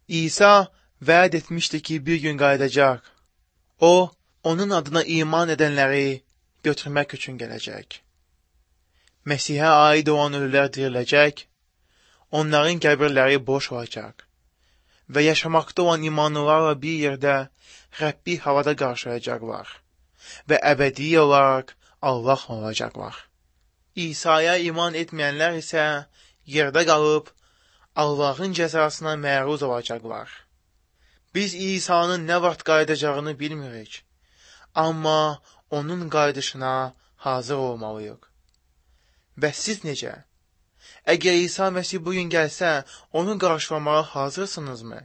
İsa vəd etmişdi ki, bir gün qayıdacaq. O, onun adına iman edənləri götürmək üçün gələcək. Məsihə aid olan ölülər diriləcək, onların qəbirləri boş olacaq və yaşamaqda olan imanlılarla bir yerdə Rəbbi havada qarşılayacaqlar və əbədi olaraq Allahla olacaqlar. İsa'ya iman etməyənlər isə yerdə qalıb Allahın cəzasına məruz olacaqlar. Biz İsa'nın nə vaxt qayıdacağını bilmirik, amma onun qayıdışına hazır olmalıyıq. Bəs siz necə? Əgər İsa Məsih bugün gəlsə, onu qarşılamağa hazırsınızmı?